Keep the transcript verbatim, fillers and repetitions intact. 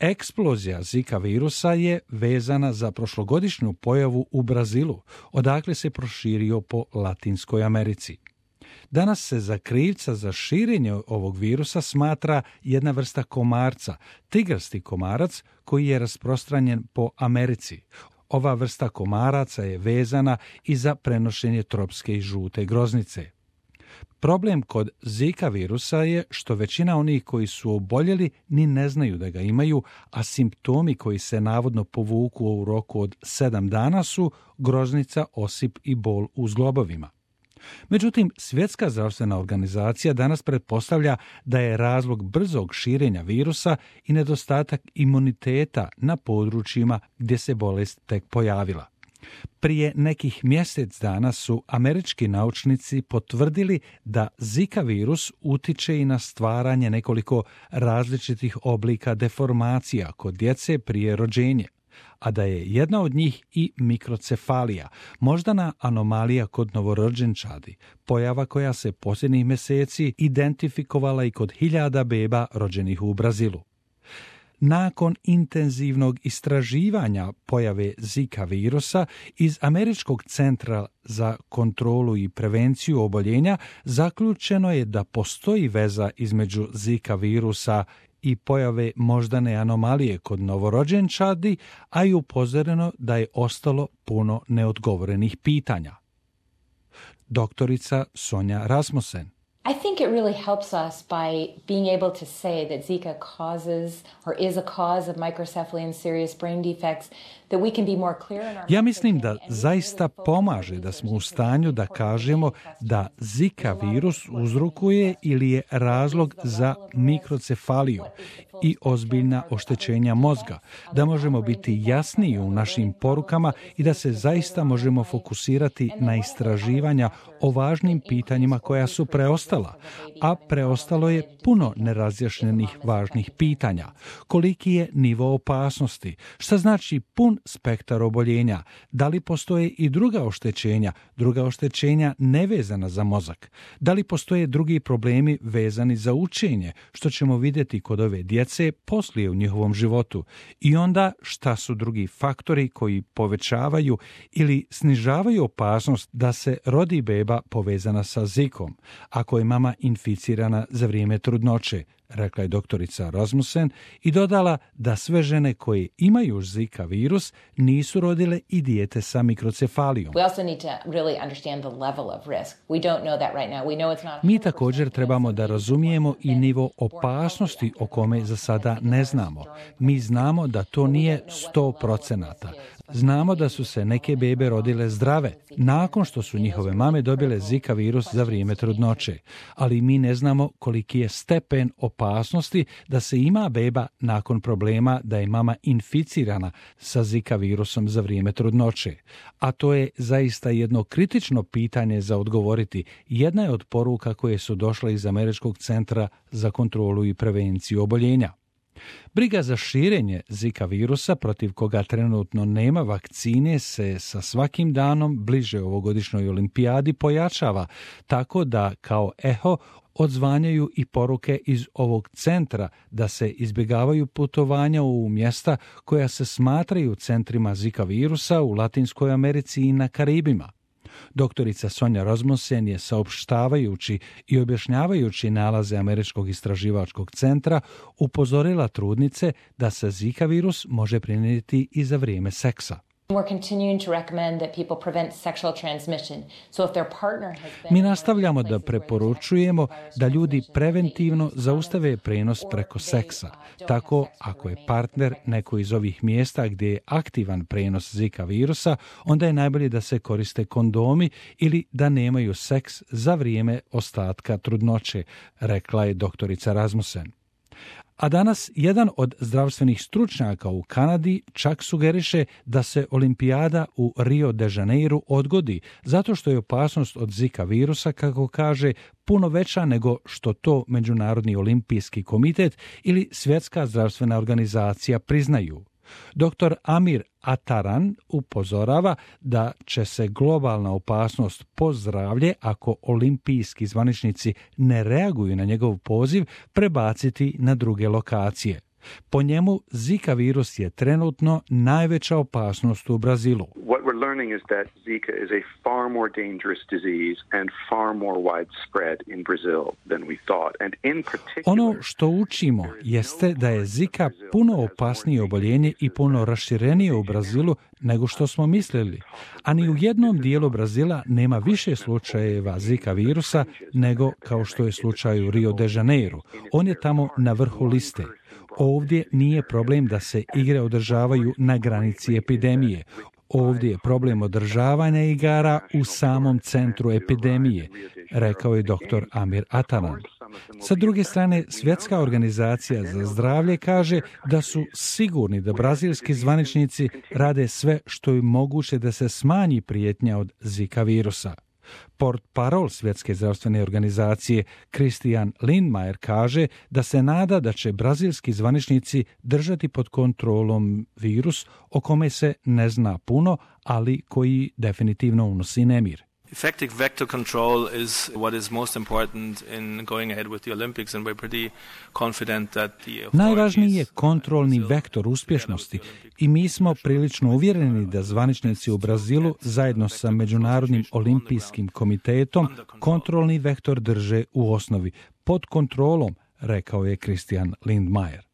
Eksplozija Zika virusa je vezana za prošlogodišnju pojavu u Brazilu, odakle se proširio po Latinskoj Americi. Danas se za krivca za širenje ovog virusa smatra jedna vrsta komarca, tigrasti komarac koji je rasprostranjen po Americi. Ova vrsta komaraca je vezana i za prenošenje tropske i žute groznice. Problem kod Zika virusa je što većina onih koji su oboljeli ni ne znaju da ga imaju, a simptomi koji se navodno povuku u roku od sedam dana su groznica, osip i bol u zglobovima. Međutim, Svjetska zdravstvena organizacija danas pretpostavlja da je razlog brzog širenja virusa i nedostatak imuniteta na područjima gdje se bolest tek pojavila. Prije nekih mjesec dana su američki naučnici potvrdili da Zika virus utiče i na stvaranje nekoliko različitih oblika deformacija kod djece prije rođenja, a da je jedna od njih i mikrocefalija, moždana anomalija kod novorođenčadi, pojava koja se posljednjih mjeseci identifikovala i kod hiljada beba rođenih u Brazilu. Nakon intenzivnog istraživanja pojave Zika virusa iz Američkog centra za kontrolu i prevenciju oboljenja zaključeno je da postoji veza između Zika virusa i pojave moždane anomalije kod novorođenčadi, a i upozoreno da je ostalo puno neodgovorenih pitanja. Doktorica Sonja Rasmussen. I think it really helps us by being able to say that Zika causes or is a cause of microcephaly and serious brain defects, that we can be more clear in our Ja mislim da zaista pomaže da smo u stanju da kažemo da Zika virus uzrokuje ili je razlog za mikrocefaliju i ozbiljna oštećenja mozga, da možemo biti jasniji u našim porukama i da se zaista možemo fokusirati na istraživanja o važnim pitanjima koja su preostala, a preostalo je puno nerazjašnjenih važnih pitanja. Koliki je nivo opasnosti? Šta znači pun spektar oboljenja? Da li postoje i druga oštećenja, druga oštećenja nevezana za mozak? Da li postoje drugi problemi vezani za učenje, što ćemo vidjeti kod ove djece poslije u njihovom životu? I onda šta su drugi faktori koji povećavaju ili snižavaju opasnost da se rodi beba povezana sa Zikom, ako je mama inficirana za vrijeme trudnoće, rekla je doktorica Rasmussen i dodala da sve žene koje imaju Zika virus nisu rodile i dijete sa mikrocefalijom. Mi također trebamo da razumijemo i nivo opasnosti o kome za sada ne znamo. Mi znamo da to nije sto procenata. Znamo da su se neke bebe rodile zdrave, nakon što su njihove mame dobile Zika virus za vrijeme trudnoće, ali mi ne znamo koliki je stepen opasnosti da se ima beba nakon problema da je mama inficirana sa Zika virusom za vrijeme trudnoće. A to je zaista jedno kritično pitanje za odgovoriti. Jedna je od poruka koje su došle iz Američkog centra za kontrolu i prevenciju oboljenja. Briga za širenje Zika virusa, protiv koga trenutno nema vakcine, se sa svakim danom bliže ovogodišnjoj olimpijadi pojačava, tako da kao eho odzvanjaju i poruke iz ovog centra da se izbjegavaju putovanja u mjesta koja se smatraju centrima Zika virusa u Latinskoj Americi i na Karibima. Doktorica Sonja Rasmussen je saopštavajući i objašnjavajući nalaze Američkog istraživačkog centra upozorila trudnice da se Zika virus može prenijeti i za vrijeme seksa. Mi nastavljamo da preporučujemo da ljudi preventivno zaustave prenos preko seksa. Tako, ako je partner neko iz ovih mjesta gdje je aktivan prenos Zika virusa, onda je najbolje da se koriste kondomi ili da nemaju seks za vrijeme ostatka trudnoće, rekla je doktorica Rasmussen. A danas jedan od zdravstvenih stručnjaka u Kanadi čak sugeriše da se olimpijada u Rio de Janeiru odgodi, zato što je opasnost od Zika virusa, kako kaže, puno veća nego što to Međunarodni olimpijski komitet ili Svjetska zdravstvena organizacija priznaju. Doktor Amir Ataran upozorava da će se globalna opasnost po zdravlje, ako olimpijski zvaničnici ne reaguju na njegov poziv, prebaciti na druge lokacije. Po njemu, Zika virus je trenutno najveća opasnost u Brazilu. What we're learning is that Zika is a far more dangerous disease and far more widespread in Brazil than we thought. And in particular, ono što učimo jeste da je Zika puno opasnije oboljenje i puno raširenije u Brazilu nego što smo mislili. A ni u jednom dijelu Brazila nema više slučajeva Zika virusa nego kao što je slučaj u Rio de Janeiro. On je tamo na vrhu liste. Ovdje nije problem da se igre održavaju na granici epidemije. Ovdje je problem održavanja igara u samom centru epidemije, rekao je doktor Amir Atanan. Sa druge strane, Svjetska organizacija za zdravlje kaže da su sigurni da brazilski zvaničnici rade sve što je moguće da se smanji prijetnja od Zika virusa. Portparol Svjetske zdravstvene organizacije Christian Lindmeier kaže da se nada da će brazilski zvaničnici držati pod kontrolom virus o kome se ne zna puno, ali koji definitivno unosi nemir. Effective vector control is what is most important in going ahead with the Olympics, and we're pretty confident that the Najvažniji je kontrolni vektor uspješnosti i mi smo prilično uvjereni da zvaničnici u Brazilu zajedno sa Međunarodnim olimpijskim komitetom kontrolni vektor drže u osnovi pod kontrolom, rekao je Christian Lindmeier.